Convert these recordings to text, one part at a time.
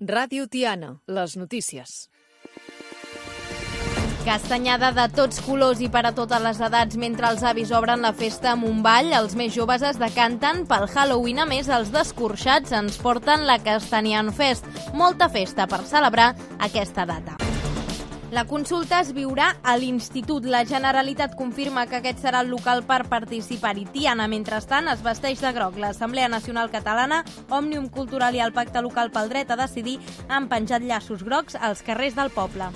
Ràdio Tiana, les notícies. Castanyada de tots colors i per a totes les edats mentre els avis obren la festa amb un ball. Els més joves es decanten pel Halloween. A més, els descorxats ens porten la Castanyada Fest. Molta festa per celebrar aquesta data. La consulta es viurà a l'Institut. La Generalitat confirma que aquest serà el local per participar-hi. Tiana, mentrestant, es vesteix de groc. L'Assemblea Nacional Catalana, Òmnium Cultural i el Pacte Local pel Dret a Decidir han penjat llaços grocs als carrers del poble.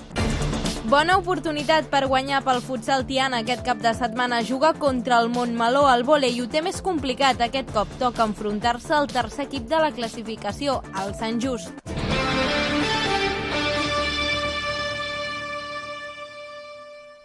Bona oportunitat per guanyar pel futsal. Tiana aquest cap de setmana juga contra el Montmeló. El vòlei ho té més complicat. Aquest cop toca enfrontar-se al tercer equip de la classificació, el Sant Just.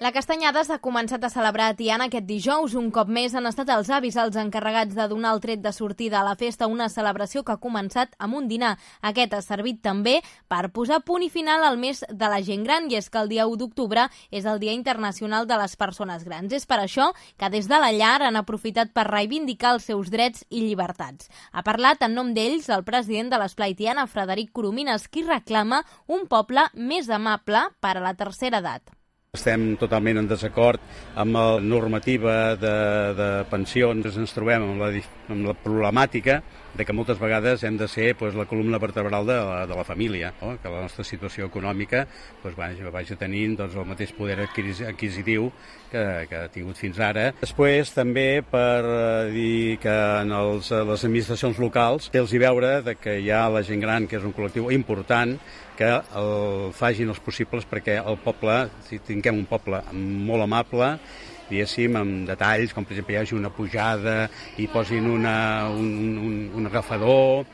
La Castanyada s'ha començat a celebrar a Tiana aquest dijous. Un cop més han estat els avis els encarregats de donar el tret de sortida a la festa, una celebració que ha començat amb un dinar. Aquest ha servit també per posar punt i final al mes de la gent gran, i és que el dia 1 d'octubre és el Dia Internacional de les Persones Grans. És per això que des de la llar han aprofitat per reivindicar els seus drets i llibertats. Ha parlat en nom d'ells el president de l'Esplai Tiana, Frederic Coromines, qui reclama un poble més amable per a la tercera edat. Estem totalment en desacord amb la normativa de pensions. Ens trobem amb la problemàtica de que moltes vegades hem de ser la columna vertebral de la família, no? Que la nostra situació econòmica vagi tenint el mateix poder adquisitiu que ha tingut fins ara. Després també per dir que en les administracions locals té-los veure que hi ha la gent gran, que és un col·lectiu important, que el facin els possibles perquè el poble, si tinguem un poble molt amable, diguéssim, amb detalls, com per exemple hi hagi una pujada i posin un agafador,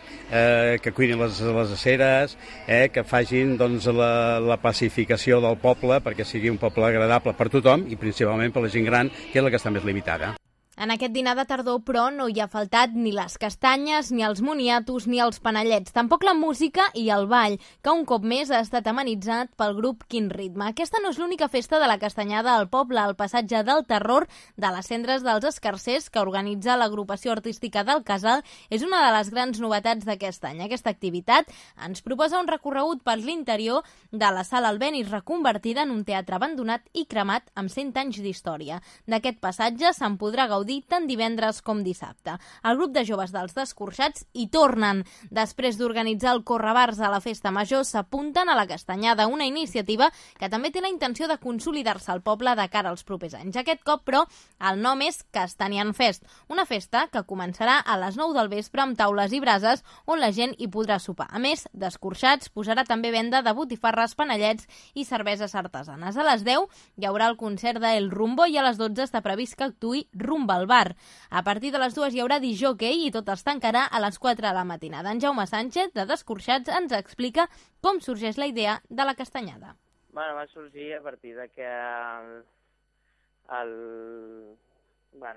que cuinin les aceres, que facin la pacificació del poble perquè sigui un poble agradable per tothom i principalment per la gent gran, que és la que està més limitada. En aquest dinar de tardor, però, no hi ha faltat ni les castanyes, ni els moniatos, ni els panellets. Tampoc la música i el ball, que un cop més ha estat amenitzat pel grup Quin Ritme. Aquesta no és l'única festa de la castanyada al poble. El passatge del terror de les cendres dels escarsers, que organitza l'agrupació artística del Casal, és una de les grans novetats d'aquest any. Aquesta activitat ens proposa un recorregut per l'interior de la Sala Albéniz, reconvertida en un teatre abandonat i cremat amb 100 anys d'història. D'aquest passatge se'n podrà gaudir tant divendres com dissabte. El grup de joves dels Descorxats hi tornen. Després d'organitzar el Correbars a la Festa Major, s'apunten a la Castanyada, una iniciativa que també té la intenció de consolidar-se al poble de cara als propers anys. Aquest cop, però, el nom és Castanyada Fest, una festa que començarà a les 9 del vespre amb taules i brases on la gent hi podrà sopar. A més, Descorxats posarà també venda de botifarres, panellets i cerveses artesanes. A les 10 hi haurà el concert d'El Rumbo i a les 12 està previst que actuï Rumba al bar. A partir de les 2 hi haurà disjockey i tot es tancarà a les 4 de la matinada. En Jaume Sánchez, de Descorxats, ens explica com sorgeix la idea de la castanyada. Va sorgir a partir de que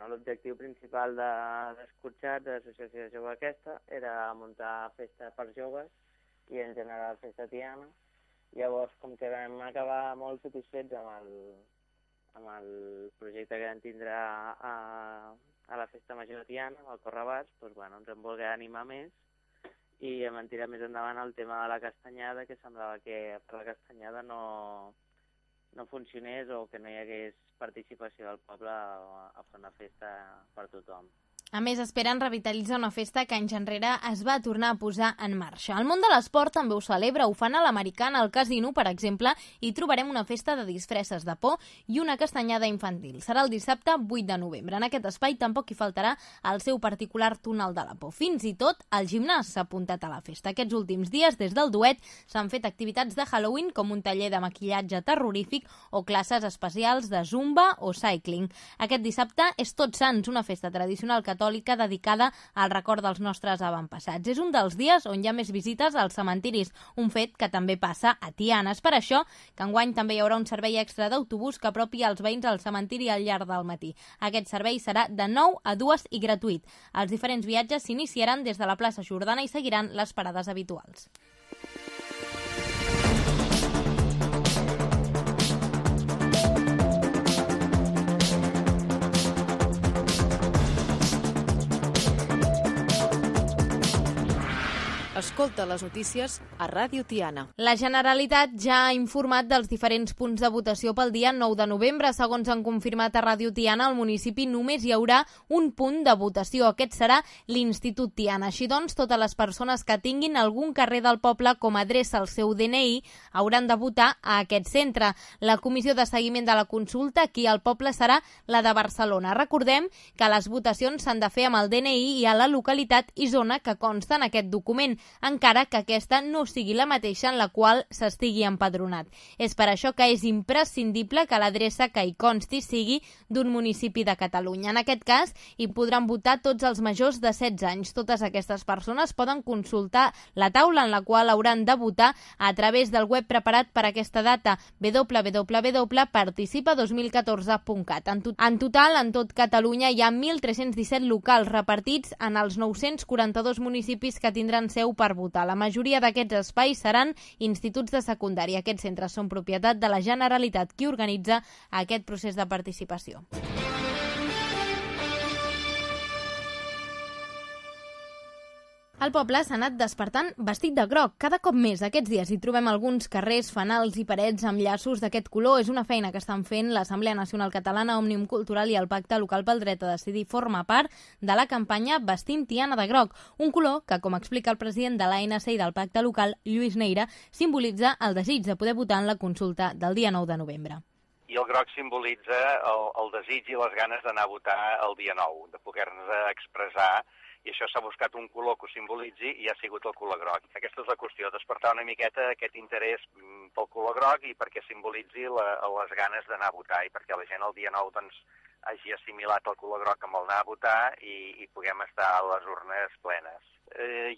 l'objectiu principal de Descorxats, de l'associació de joves aquesta, era muntar festa per joves i en general festa tiana. Llavors, com que vam acabar molt satisfets amb el projecte que vam tindre a la Festa Major de Tiana, al Correbars, ens en volgué animar més i hem tirat més endavant el tema de la castanyada, que semblava que per la castanyada no funcionés o que no hi hagués participació del poble a fer una festa per tothom. A més, esperen revitalitzar una festa que anys enrere es va tornar a posar en marxa. El món de l'esport també ho celebra, ho fan a l'Americana, al Casino, per exemple, i trobarem una festa de disfresses de por i una castanyada infantil. Serà el dissabte 8 de novembre. En aquest espai tampoc hi faltarà el seu particular túnel de la por. Fins i tot el gimnàs s'ha apuntat a la festa. Aquests últims dies, des del duet, s'han fet activitats de Halloween, com un taller de maquillatge terrorífic o classes especials de zumba o cycling. Aquest dissabte és Tots Sants, una festa tradicional catòlica dedicada al record dels nostres avantpassats. És un dels dies on hi ha més visites als cementiris, un fet que també passa a Tiana. És per això que enguany també hi haurà un servei extra d'autobús que apropi els veïns al cementiri al llarg del matí. Aquest servei serà de 9 a 2 i gratuït. Els diferents viatges s'iniciaran des de la plaça Jordana i seguiran les parades habituals. Escolta les notícies a Ràdio Tiana. La Generalitat ja ha informat dels diferents punts de votació pel dia 9 de novembre. Segons han confirmat a Ràdio Tiana, al municipi només hi haurà un punt de votació. Aquest serà l'Institut Tiana. Així doncs, totes les persones que tinguin algun carrer del poble com a adreça al seu DNI hauran de votar a aquest centre. La comissió de seguiment de la consulta aquí al poble serà la de Barcelona. Recordem que les votacions s'han de fer amb el DNI i a la localitat i zona que consta en aquest document, encara que aquesta no sigui la mateixa en la qual s'estigui empadronat. És per això que és imprescindible que l'adreça que hi consti sigui d'un municipi de Catalunya. En aquest cas, hi podran votar tots els majors de 16 anys. Totes aquestes persones poden consultar la taula en la qual hauran de votar a través del web preparat per aquesta data, www.participa2014.cat. En total, en tot Catalunya hi ha 1.317 locals repartits en els 942 municipis que tindran seu per votar. La majoria d'aquests espais seran instituts de secundària. Aquests centres són propietat de la Generalitat, qui organitza aquest procés de participació. El poble s'ha anat despertant vestit de groc. Cada cop més aquests dies hi trobem alguns carrers, fanals i parets amb llaços d'aquest color. És una feina que estan fent l'Assemblea Nacional Catalana, Òmnium Cultural i el Pacte Local pel Dret a Decidir forma part de la campanya Vestint Tiana de groc, un color que, com explica el president de l'ANC i del Pacte Local, Lluís Neira, simbolitza el desig de poder votar en la consulta del dia 9 de novembre. I el groc simbolitza el desig i les ganes d'anar a votar el dia 9, de poder-nos expressar, i això s'ha buscat un color que ho simbolitzi i ha sigut el color groc. Aquesta és la qüestió, despertar una miqueta aquest interès pel color groc i perquè simbolitzi les ganes d'anar a votar i perquè la gent el dia 9 doncs, hagi assimilat el color groc amb el anar a votar i puguem estar a les urnes plenes.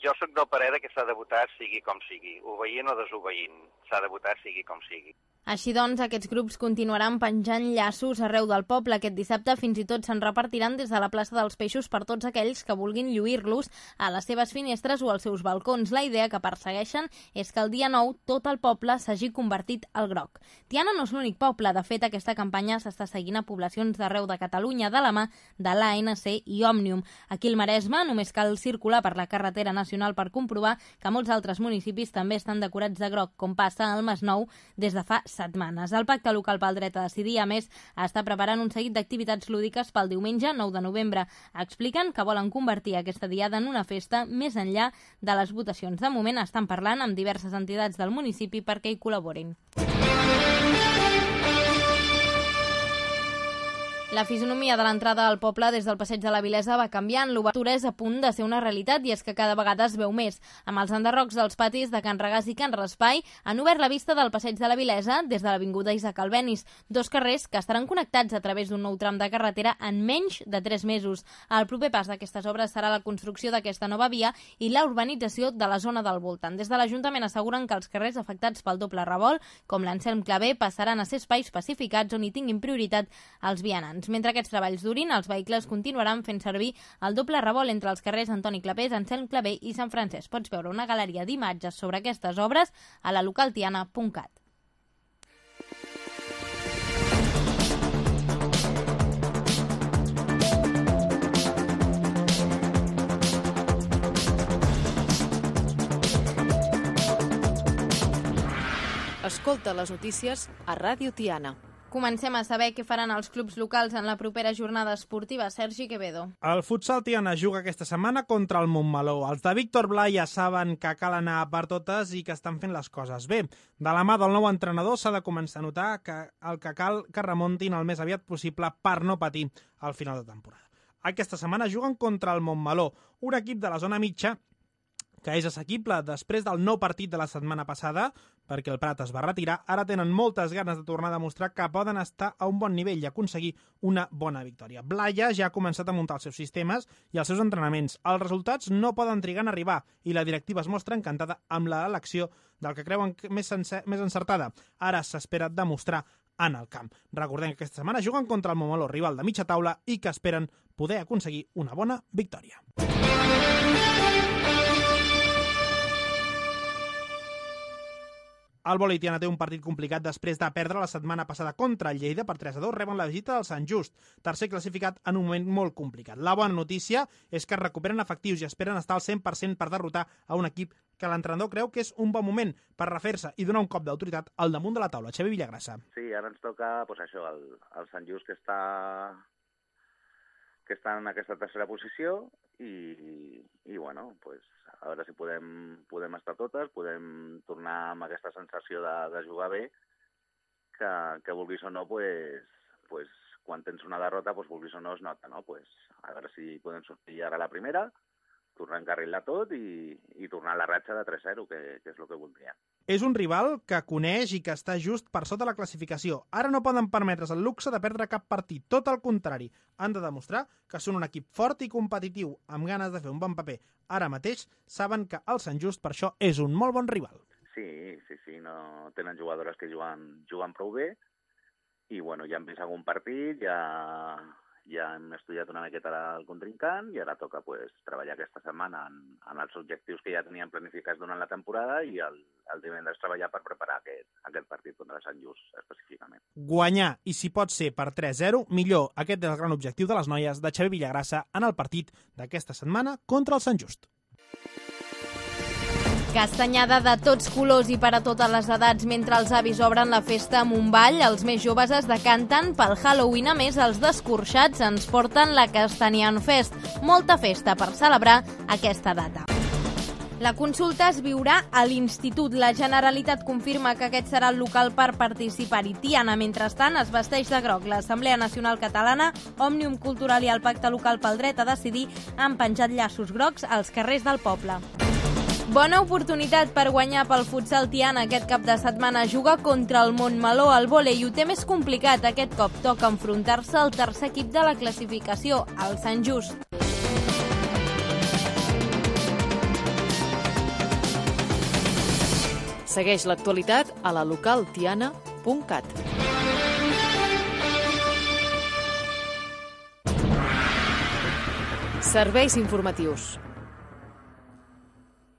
Jo sóc del parer que s'ha de votar sigui com sigui, obeint o desobeint, s'ha de votar sigui com sigui. Així doncs, aquests grups continuaran penjant llaços arreu del poble. Aquest dissabte fins i tot se'n repartiran des de la plaça dels Peixos per tots aquells que vulguin lluir-los a les seves finestres o als seus balcons. La idea que persegueixen és que el dia 9 tot el poble s'hagi convertit al groc. Tiana no és l'únic poble. De fet, aquesta campanya s'està seguint a poblacions d'arreu de Catalunya de la mà de l'ANC i Òmnium. Aquí al Maresme només cal circular per la carretera nacional per comprovar que molts altres municipis també estan decorats de groc, com passa al Masnou des de fa setmanes. El Pacte Local pel Dret a Decidir, a més, està preparant un seguit d'activitats lúdiques pel diumenge 9 de novembre. Expliquen que volen convertir aquesta diada en una festa més enllà de les votacions. De moment estan parlant amb diverses entitats del municipi perquè hi col·laborin. La fisonomia de l'entrada al poble des del passeig de la Vilesa va canviant. L'obertura és a punt de ser una realitat i és que cada vegada es veu més. Amb els enderrocs dels patis de Can Regàs i Can Raspai han obert la vista del passeig de la Vilesa des de l'avinguda Isaac Albéniz, dos carrers que estaran connectats a través d'un nou tram de carretera en menys de 3 mesos. El proper pas d'aquestes obres serà la construcció d'aquesta nova via i la urbanització de la zona del voltant. Des de l'Ajuntament asseguren que els carrers afectats pel doble revolt, com l'Anselm Clavé, passaran a ser espais pacificats on hi tinguin prioritat els vianants. Mentre aquests treballs durin, els vehicles continuaran fent servir el doble revolt entre els carrers Antoni Clapés, Anselm Clavé i Sant Francesc. Pots veure una galeria d'imatges sobre aquestes obres a la localtiana.cat. Escolta les notícies a Ràdio Tiana. Comencem a saber què faran els clubs locals en la propera jornada esportiva. Sergi Quevedo. El futsal Tiana juga aquesta setmana contra el Montmeló. Els de Víctor Blai ja saben que cal anar per totes i que estan fent les coses bé. De la mà del nou entrenador s'ha de començar a notar que el que cal que remuntin el més aviat possible per no patir al final de temporada. Aquesta setmana juguen contra el Montmeló, un equip de la zona mitja que és assequible després del nou partit de la setmana passada, perquè el Prat es va retirar. Ara tenen moltes ganes de tornar a demostrar que poden estar a un bon nivell i aconseguir una bona victòria. Blaia ja ha començat a muntar els seus sistemes i els seus entrenaments. Els resultats no poden trigar en arribar i la directiva es mostra encantada amb l'elecció del que creuen més encertada. Ara s'espera demostrar en el camp. Recordem que aquesta setmana juguen contra el Montmeló, rival de mitja taula, i que esperen poder aconseguir una bona victòria. El vòlei Tiana té un partit complicat després de perdre la setmana passada contra el Lleida per 3-2, reben la visita del Sant Just, tercer classificat en un moment molt complicat. La bona notícia és que es recuperen efectius i esperen estar al 100% per derrotar a un equip que l'entrenador creu que és un bon moment per refer-se i donar un cop d'autoritat al damunt de la taula. Xavi Villagrassa. Sí, ara ens toca això, el Sant Just que està en aquesta tercera posició i bueno, a veure si podem estar totes, podem tornar amb aquesta sensació de jugar bé, que vulguis o no, quan tens una derrota, vulguis o no es nota, no? A veure si podem sortir ara a la primera, tornar a encarrilar tot i tornar a la ratxa de 3-0, que és el que voldria. És un rival que coneix i que està just per sota la classificació. Ara no poden permetre's el luxe de perdre cap partit. Tot el contrari, han de demostrar que són un equip fort i competitiu, amb ganes de fer un bon paper. Ara mateix saben que el Sant Just per això és un molt bon rival. Sí, no tenen jugadores que juguen prou bé i bueno, ja hem vist algun partit, ja hem estudiat una miqueta el contrincant i ara toca treballar aquesta setmana en els objectius que ja teníem planificats durant la temporada i el divendres treballar per preparar aquest partit contra el Sant Just específicament. Guanyar, i si pot ser per 3-0, millor. Aquest és el gran objectiu de les noies de Xavi Villagrassa en el partit d'aquesta setmana contra el Sant Just. Castanyada de tots colors i per a totes les edats mentre els avis obren la festa amb un ball, els més joves es decanten pel Halloween. A més, els descorxats ens porten la Castanyant Fest, molta festa per celebrar aquesta data. La consulta es viurà a l'Institut. La Generalitat confirma que aquest serà el local per participar-hi. Tiana, mentrestant, es vesteix de groc. L'Assemblea Nacional Catalana, Òmnium Cultural i el Pacte Local pel Dret a Decidir han penjat llaços grocs als carrers del poble. Bona oportunitat per guanyar pel futsal Tiana aquest cap de setmana. Juga contra el Montmeló. El vòlei ho té més complicat. Aquest cop toca enfrontar-se al tercer equip de la classificació, el Sant Just. Segueix l'actualitat a la localtiana.cat. Serveis informatius.